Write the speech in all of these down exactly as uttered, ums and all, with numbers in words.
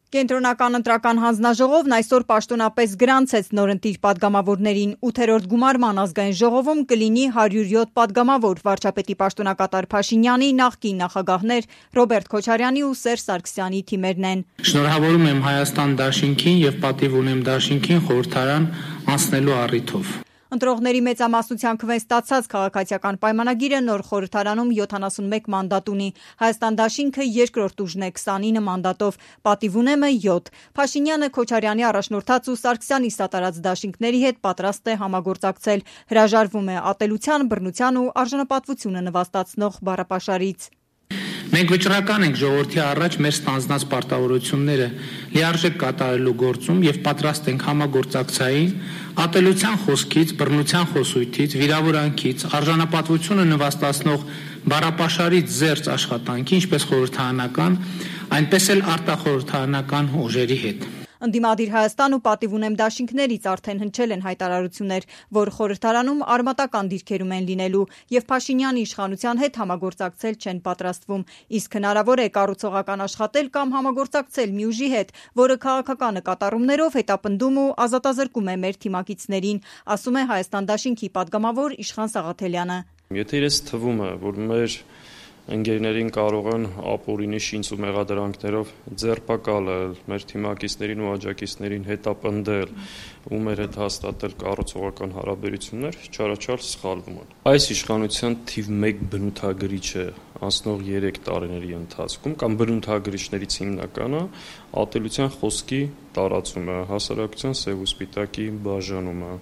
Կենտրոնական ընտրական հանձնաժողովն այսօր պաշտոնապես գրանցեց նորընտիր պատգամավորներին։ ութերորդ գումարման ազգային ժողովում կլինի հարյուր յոթ պատգամավոր՝ վարչապետի պաշտոնակատար Փաշինյանի, նախկին նախագահներ Ռոբերտ Քոչարյանի ու Սերժ Սարգսյանի թիմերն են։ Շնորհավորում եմ Հայաստան դաշինքին և պատիվ ունեմ դաշինքին խորհրդարան անցնելու առիթով։ Ընտրողների մեծամասնության քվեն ստացած քաղաքացիական պայմանագիրը նոր խորհրդարանում յոթանասունմեկ մանդատ ունի։ Հայաստան դաշինքը երկրորդ ուժն է քսանինը մանդատով, պատիվ ունեմը յոթ։ Փաշինյանը Քոչարյանի առաջնորդած ու Սարգսյանի սատարած դաշինքների հետ պատրաստ է համագործակցել։ Հրաժարվում է ատելության, բռնության ու արժանապատվությունը նվաստացնող բառապաշարից։ Մենք վճռական ենք ժողովրդի առաջ մեր ստանձնած պարտավորությունները լիարժեք կատարելու գործում և պատրաստ ենք համագործակցային, ատելության խոսքից, բռնության խոսույթից, վիրավորանքից, արժանապատվությունը նվաստացնող բառապաշարից զերծ աշխատանքի, ինչպես խորհրդարանական, այնպես էլ արտախորհրդարանական ուժերի հետ։ Ընդդիմադիր Հայաստան ու պատիվ ունեմ դաշինքներից արդեն հնչել են հայտարարություններ, որ խորհրդարանում արմատական դիրքերում են լինելու և Փաշինյանի իշխանության հետ համագործակցել չեն պատրաստվում, իսկ հնարավոր է կառուցողական աշխատել կամ համագործակցել մի ուժի հետ, որը քաղաքական նկատառումներով հետապնդում ու ազատազրկում է մեր թիմակիցներին, ասում է Հայաստան դաշինքի պատգամավոր Իշխան Սաղաթելյանը։ Եթե իրենց թվում է, որ մեր ընկերներին կարող են ապօրինի շինծ ու մեղադրանքներով ձերբակալել, մեր թիմակիցներին ու աջակիցներին հետապնդել ու մեր հետ հաստատել կառուցողական հարաբերություններ, չարաչար սխալվում են։ Այս իշխանության թիվ մեկ բնութագրիչը անցնող երեք տարիների ընթացքում կամ բնութագրիչներից հիմնականը ատելության խոսքի տարածումը, հասարակության սև ու սպիտակի բաժանումը,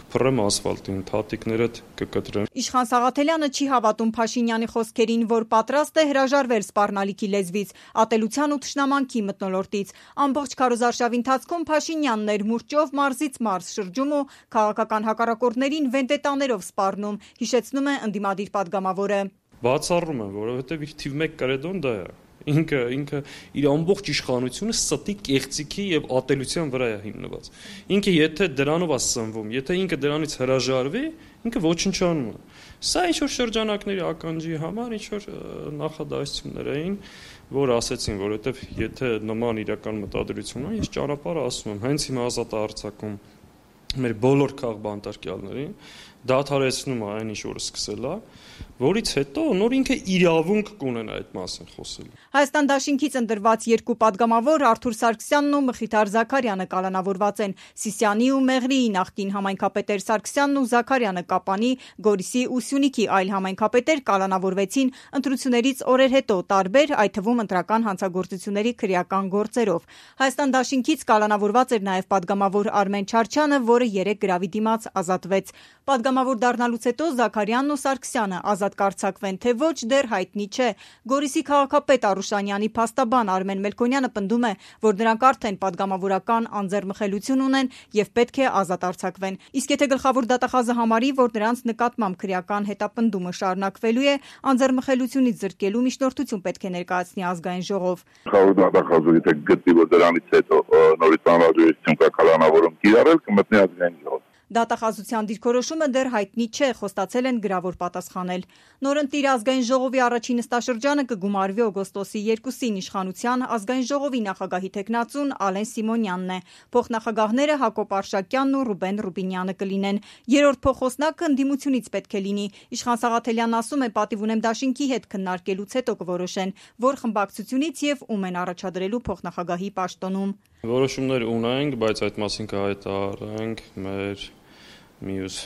կփռեմ ասֆալտին, թաթիկներդ կկտրեմ։ Իշխան Սաղաթելյանը չի հավատում Փաշինյանի խոսքերին, որ պատրաստ է հրաժարվել սպառնալիքի լեզվից, ատելության ու թշնամանքի մթնոլորտից։ Ամբողջ քարոզարշավի ընթացքում Փաշինյանն էր մուրճով մարզից մարզ շրջում ու քաղաքական հակառակորդներին վենդետաներով սպառնում, հիշեցնում է ընդդիմադիր պատգամավորը։ Բացառում եմ, որովհետև իր թիվ մեկ կրեդոն դա է։ Ինքը ինքը իր ամբողջ իշխանությունը ստի կեղծիքի եւ ատելության վրա է հիմնված։ Ինքը եթե դրանով է սնվում, եթե ինքը դրանից հրաժարվի, ինքը ոչնչանում է։ Սա ինչ որ շրջանակների ականջի համար ինչ որ նախադասություններ էին, որ ասեցին, որովհետև եթե նման իրական մտադրություն ունի, ես ճանապարհը ասում եմ, հենց հիմա ազատ արձակում մեր բոլոր քաղբանտարկյալներին, դադարեցնում է այն ինչ որ սկսել է, որից հետո նոր ինքը իրավունք կունենա այդ մասին խոսելու։ Հայաստան դաշինքից ընտրված երկու պատգամավոր Արթուր Սարգսյանն ու Մխիթար Զաքարյանը կալանավորված են։ Սիսիանի ու Մեղրիի նախկին համայնքապետեր Սարգսյանն ու Զաքարյանը Կապանի, Գորիսի ու Սյունիքի այլ համայնքապետեր կալանավորվեցին ընտրություններից օրեր հետո տարբեր, այդ թվում ընտրական հանցագործությունների քրեական գործերով։ Հայաստան դաշինքից կալանավորված էր նաև պատգամավոր Արմեն Չարչյանը, որը երեկ գրավի դիմաց ազատվեց։ Պատգամավոր դառնալուց հետո Զաքարյանն ու Սարգսյանը ազատ կարձակվեն, թե ոչ դեռ հայտնի չէ։ Գորիսի քաղաքապետ Արուշանյանի փաստաբան Արմեն Մելքոնյանը պնդում է, որ նրանք արդեն պատգամավորական անձեռմխելիություն ունեն եւ պետք է ազատ արձակվեն։ Իսկ եթե գլխավոր դատախազը համարի, որ նրանց նկատմամբ քրեական հետապնդումը շարունակվելու է, անձեռմխելիությունից զրկելու միջնորդություն պետք է ներկայացնի ազգային ժողով։ Գլխավոր դատախազը եթե գտնի, որ դրանից հետո նորից անհրաժեշտություն կա կալանավորում կիրառել, կմտնի ազգային ժողով։ Դատախազության դիրքորոշումը դեռ հայտնի չէ, խոստացել են գրավոր պատասխանել։ Նորընտիր ազգային ժողովի առաջին նստաշրջանը կգումարվի օգոստոսի երկուսին իշխանության ազգային ժողովի նախագահի թեկնածուն Ալեն Սիմոնյանն է։ Փոխնախագահները Հակոբ Արշակյանն ու Ռուբեն Ռուբինյանը կլինեն։ Երրորդ փոխոսնակը ընդդիմությունից պետք է լինի։ Իշխան Սաղաթելյանն ասում է, պատիվ ունեմ դաշինքի հետ քննարկելուց հետո կորոշեն, որ խմբակցությունից եւ ում են առաջադրելու փոխնախագահի պաշտոնում։ Որոշումներ ունենք, բայց այդ մասին կհայտարարենք մեր մյուս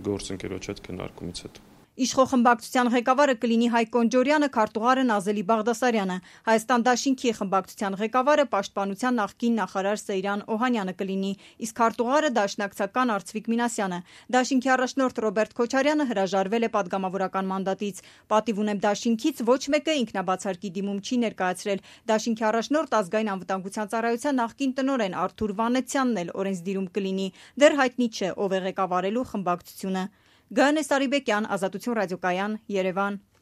գործընկերոջ հետ քննարկումից հետո։ Իշխող խմբակցության ղեկավարը կլինի Հայկ Կոնջորյանը, քարտուղարը Նազելի Բաղդասարյանը։ Հայաստան դաշինքի խմբակցության ղեկավարը պաշտպանության նախկին նախարար Սեյրան Օհանյանը կլինի, իսկ քարտուղարը դաշնակցական Արծվիկ Մինասյանը։ Դաշինքի առաջնորդ Ռոբերտ Քոչարյանը հրաժարվել է պատգամավորական մանդատից։ Պատիվ ունեմ դաշինքից ոչ մեկը ինքնաբացարկի դիմում չի ներկայացրել։ Դաշինքի առաջնորդ ազգային անվտանգության ծառայության նախկին տնօրեն Արթուր Վանեցյանն էլ օրենսդիրում կլինի։ Դեռ հայտնի չէ, ով է ղեկավարելու խմբակցությունը։ Գայանե Սարիբեկյան, Ազատություն ռադիոկայան, Երևան։